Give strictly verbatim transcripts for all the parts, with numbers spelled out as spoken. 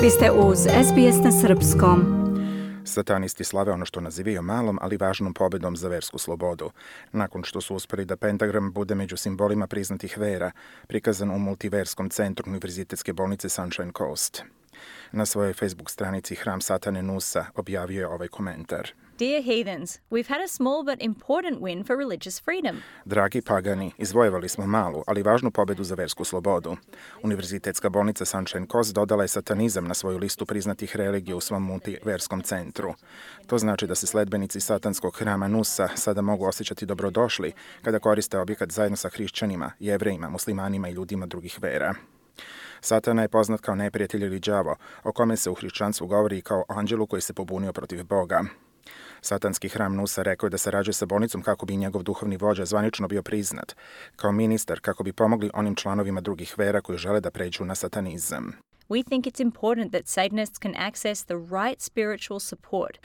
Vi ste uz S B S na srpskom. Satanisti slave ono što nazivaju malom, ali važnom pobedom za versku slobodu. Nakon što su uspeli da pentagram bude među simbolima priznatih vera, prikazan u multiverskom centru Univerzitetske bolnice Sunshine Coast. Na svojoj Facebook stranici Hram Satane Nusa objavio je ovaj komentar. Dear heathens, we've had a small but important win for religious freedom. Dragi pagani, izvojevali smo malu, ali važnu pobedu za versku slobodu. Univerzitetska bolnica Sunshine Coast dodala je satanizam na svoju listu priznatih religija u svom multiverskom centru. To znači da se sledbenici satanskog hrama Nusa sada mogu osjećati dobrodošli kada koriste objekat zajedno sa hrišćanima, jevrejima, muslimanima i ljudima drugih vera. Satana je poznat kao neprijatelj ili đavo, o kome se u hrišćanstvu govori i kao anđelu koji se pobunio protiv Boga. Satanski hram Nusa rekao je da sarađuje sa bolnicom kako bi njegov duhovni vođa zvanično bio priznat, kao ministar kako bi pomogli onim članovima drugih vera koji žele da pređu na satanizam. We think it's important that Satanists can access the right spiritual support.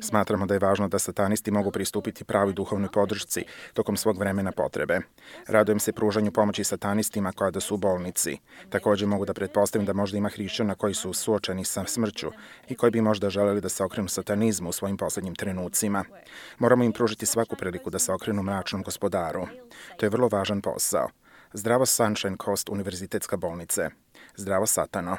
Smatramo da je važno da satanisti mogu pristupiti pravoj duhovnoj podršci tokom svog vremena potrebe. Radujem se pružanju pomoći satanistima kada su u bolnici. Također mogu da pretpostavim da možda ima hrišćana koji su suočeni sa smrću i koji bi možda želeli da se okrenu satanizmu u svojim posljednjim trenucima. Moramo im pružiti svaku priliku da se okrenu mračnom gospodaru. To je vrlo važan posao. Zdravo Sunshine Coast Univerzitetska bolnice. Zdravo Satano.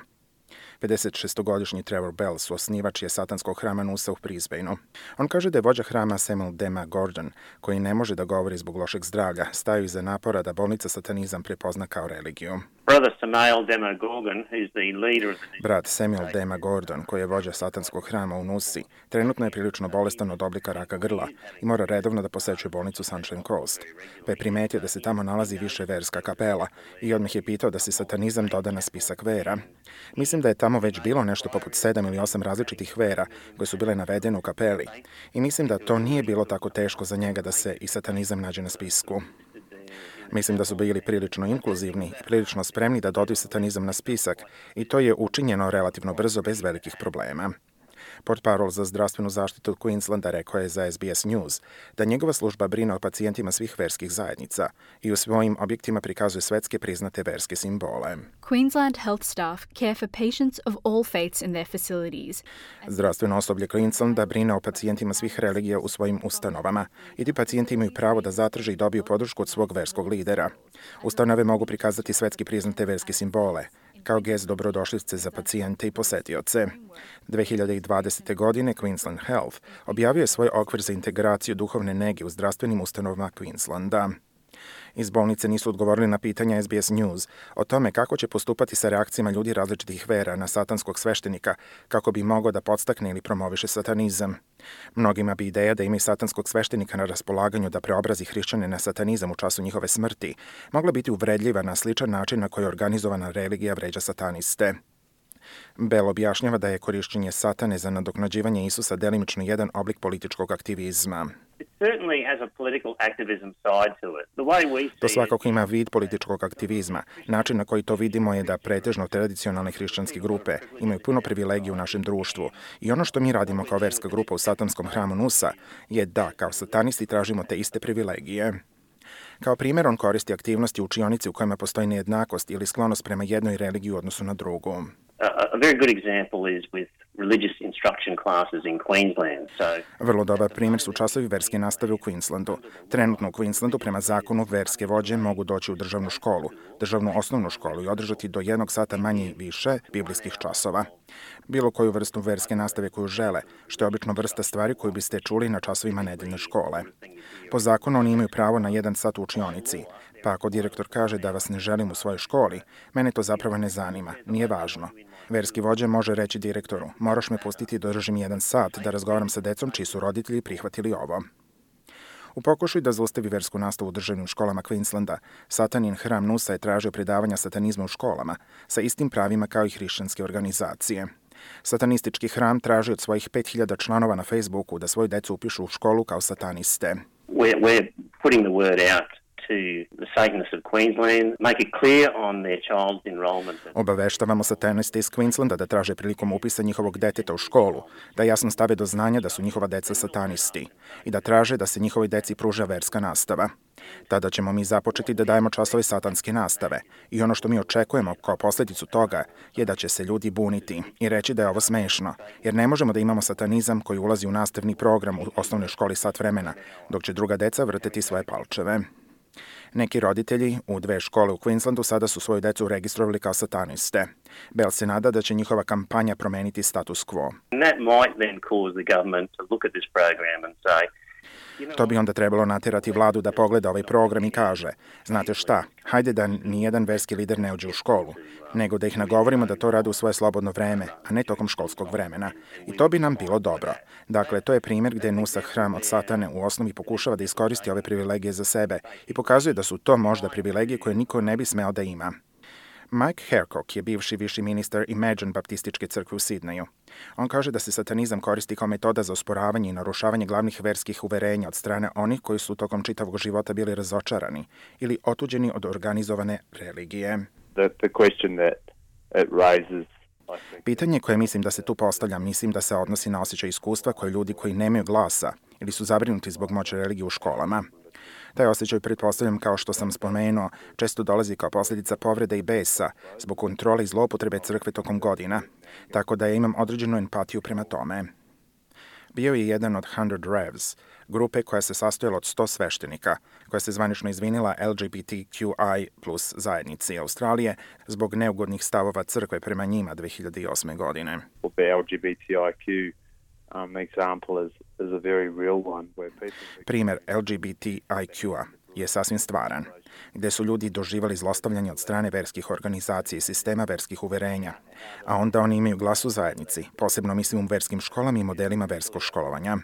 pedesetšestogodišnji Trevor Bell, suosnivač je satanskog hrama Nusa u Brisbaneu. On kaže da je vođa hrama Samuel Dema Gordon, koji ne može da govori zbog lošeg zdravlja, staju iza napora da bolnica satanizam prepozna kao religiju. Brat Samuel Dema Gordon, koji je vođa satanskog hrama u Nusi, trenutno je prilično bolestan od oblika raka grla i mora redovno da posećuje bolnicu Sunshine Coast, pa je primetio da se tamo nalazi više verska kapela i odmah je pitao da se satanizam doda na spisak vera. Mislim da je tamo već bilo nešto poput sedam ili osam različitih vera koje su bile navedene u kapeli i mislim da to nije bilo tako teško za njega da se i satanizam nađe na spisku. Mislim da su bili prilično inkluzivni i prilično spremni da dodaju satanizam na spisak i to je učinjeno relativno brzo bez velikih problema. Portparol za zdravstvenu zaštitu od Queenslanda rekao je za S B S News da njegova služba brine o pacijentima svih verskih zajednica i u svojim objektima prikazuje svetske priznate verske simbole. Queensland health staff care for patients of all faiths in their facilities. Zdravstveno osoblje Queenslanda brine o pacijentima svih religija u svojim ustanovama i ti pacijenti imaju pravo da zatraže i dobiju podršku od svog verskog lidera. Ustanove mogu prikazati svetski priznate verske simbole, kao gest dobrodošlice za pacijente i posetioce. dve hiljade dvadesete. godine Queensland Health objavio je svoj okvir za integraciju duhovne nege u zdravstvenim ustanovama Queenslanda. Iz bolnice nisu odgovorili na pitanja S B S News o tome kako će postupati sa reakcijama ljudi različitih vera na satanskog sveštenika kako bi mogao da podstakne ili promoviše satanizam. Mnogima bi ideja da ima i satanskog sveštenika na raspolaganju da preobrazi hrišćane na satanizam u času njihove smrti mogla biti uvredljiva na sličan način na koji organizovana religija vređa sataniste. Bell objašnjava da je korišćenje satane za nadoknađivanje Isusa delimično jedan oblik političkog aktivizma. To svakako ima vid političkog aktivizma. Način na koji to vidimo je da pretežno tradicionalne hrišćanske grupe imaju puno privilegije u našem društvu i ono što mi radimo kao verska grupa u satanskom hramu Nusa je da kao satanisti tražimo te iste privilegije. Kao primjer on koristi aktivnosti u učionici u kojima postoji nejednakost ili sklonost prema jednoj religiji u odnosu na drugu. A very good example is with religious instruction classes in Queensland. So, Vrlo dobar primjer su časovi verske nastave u Queenslandu. Trenutno u Queenslandu prema zakonu verske vođe mogu doći u državnu školu, državnu osnovnu školu i održati do jednog sata manje i više biblijskih časova. Bilo koju vrstu verske nastave koju žele, što je obično vrsta stvari koju biste čuli na časovima nedeljne škole. Po zakonu oni imaju pravo na jedan sat u učionici, pa ako direktor kaže da vas ne želim u svojoj školi, mene to zapravo ne zanima, nije važno. Verski vođa može reći direktoru, moraš me pustiti da držim jedan sat da razgovaram sa decom čiji su roditelji prihvatili ovo. U pokušaju da zaustavi versku nastavu u državnim školama Queenslanda, satanin hram Nusa je tražio predavanja satanizma u školama sa istim pravima kao i hrišćanske organizacije. Satanistički hram traži od svojih pet hiljada članova na Facebooku da svoju decu upišu u školu kao sataniste. We're, we're putting the word out to the Satanists of Queensland, make it clear on their child's enrolment. Obaveštavamo sataniste iz Queenslanda da traže prilikom upisa njihovog deteta u školu, da jasno stave do znanja da su njihova deca satanisti i da traže da se njihovoj deci pruža verska nastava. Tada ćemo mi započeti da dajemo časove satanske nastave i ono što mi očekujemo kao posljedicu toga je da će se ljudi buniti i reći da je ovo smešno, jer ne možemo da imamo satanizam koji ulazi u nastavni program u osnovnoj školi sat vremena, dok će druga deca vrteti svoje palčeve. Neki roditelji u dve škole u Queenslandu sada su svoju decu registrovali kao sataniste. Bell se nada da će njihova kampanja promeniti status quo. To bi onda trebalo natjerati vladu da pogleda ovaj program i kaže, znate šta, hajde da nijedan verski lider ne uđe u školu, nego da ih nagovorimo da to rade u svoje slobodno vreme, a ne tokom školskog vremena. I to bi nam bilo dobro. Dakle, to je primjer gdje Nusach hram od satane u osnovi pokušava da iskoristi ove privilegije za sebe i pokazuje da su to možda privilegije koje niko ne bi smeo da ima. Mike Haircock je bivši viši ministar Imagine Baptističke crkve u Sidneju. On kaže da se satanizam koristi kao metoda za osporavanje i narušavanje glavnih verskih uverenja od strane onih koji su tokom čitavog života bili razočarani ili otuđeni od organizovane religije. The, the question that it raises, Pitanje koje mislim da se tu postavlja, mislim da se odnosi na osjećaj iskustva koje ljudi koji nemaju glasa ili su zabrinuti zbog moći religije u školama. Taj osjećaj, pretpostavljam, kao što sam spomenuo, često dolazi kao posljedica povrede i besa zbog kontrole i zloupotrebe crkve tokom godina, tako da ja imam određenu empatiju prema tome. Bio je jedan od Hundred Revs, grupe koja se sastojala od sto sveštenika, koja se zvanično izvinila L G B T Q I plus zajednici Australije zbog neugodnih stavova crkve prema njima dve hiljade osme godine. L G B T I Q um, example is, is a very real one where people... Primer L G B T I Q-a je sasvim stvaran, gde su ljudi doživali zlostavljanje od strane verskih organizacija i sistema verskih uverenja, a onda oni imaju glas u zajednici, posebno mislim u verskim školama i modelima verskog školovanja.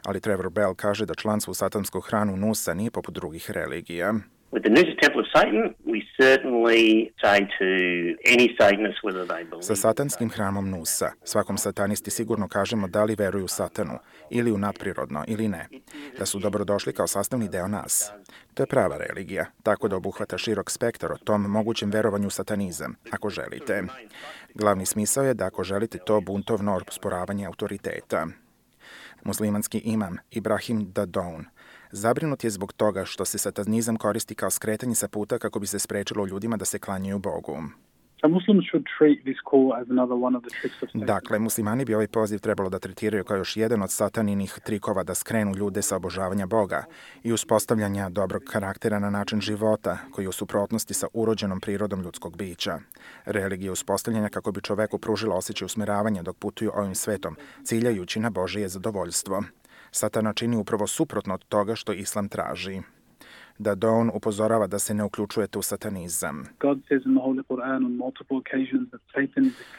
Ali Trevor Bell kaže da članstvo u satansku hranu Nusa nije poput drugih religija. With the Noosa Temple of Satan, we certainly say to any Satanist whether they believe. Sa satanskim hramom Nusa, svakom satanisti sigurno kažemo da li veruju u satanu, ili u nadprirodno, ili ne, da su dobrodošli kao sastavni deo nas. To je prava religija, tako da obuhvata širok spektar o tom mogućem verovanju u satanizam, ako želite. Glavni smisao je da ako želite to buntovno osporavanje autoriteta. Muslimanski imam Ibrahim Dadoun zabrinut je zbog toga što se satanizam koristi kao skretanje sa puta kako bi se sprečilo ljudima da se klanjaju Bogu. Dakle, muslimani bi ovaj poziv trebalo da tretiraju kao još jedan od sataninih trikova da skrenu ljude sa obožavanja Boga i uspostavljanja dobrog karaktera na način života koji je u suprotnosti sa urođenom prirodom ljudskog bića. Religija uspostavljanja kako bi čoveku pružila osjećaj usmeravanja dok putuju ovim svetom, ciljajući na Božije zadovoljstvo. Satana čini upravo suprotno od toga što Islam traži. Dadoun upozorava da se ne uključujete u satanizam.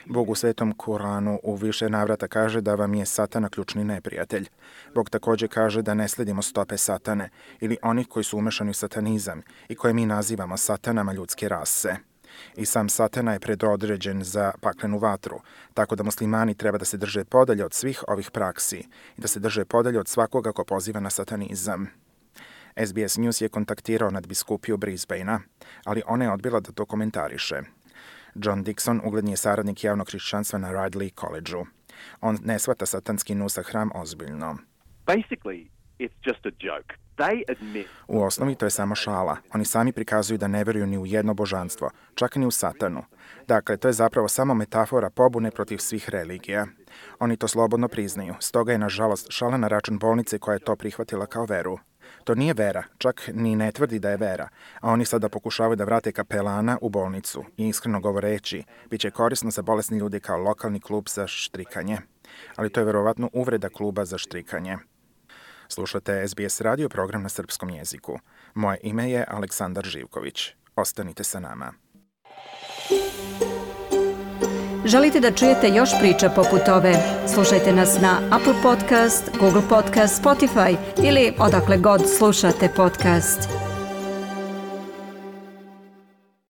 Bog u Svetom Kuranu u više navrata kaže da vam je Satana ključni neprijatelj. Bog također kaže da ne sledimo stope Satane ili onih koji su umešani u satanizam i koje mi nazivamo satanama ljudske rase. I sam Satana je predodređen za paklenu vatru, tako da muslimani treba da se drže podalje od svih ovih praksi i da se drže podalje od svakoga ko poziva na satanizam. S B S News je kontaktirao nadbiskupiju Brisbanea, ali ona je odbila da to komentariše. John Dixon ugledni je saradnik javnog hrišćanstva na Ridley College-u. On ne shvata satanski Nusach hram ozbiljno. Basically, it's just a joke. They admit... U osnovi to je samo šala. Oni sami prikazuju da ne veruju ni u jedno božanstvo, čak ni u satanu. Dakle, to je zapravo samo metafora pobune protiv svih religija. Oni to slobodno priznaju, stoga je nažalost šala na račun bolnice koja je to prihvatila kao veru. To nije vera, čak ni ne tvrdi da je vera, a oni sada pokušavaju da vrate kapelana u bolnicu i iskreno govoreći, bit će korisno za bolesni ljude kao lokalni klub za štrikanje. Ali to je verovatno uvreda kluba za štrikanje. Slušate S B S radio program na srpskom jeziku. Moje ime je Aleksandar Živković. Ostanite sa nama. Želite da čujete još priča poput ove? Slušajte nas na Apple Podcast, Google Podcast, Spotify ili odakle god slušate podcast.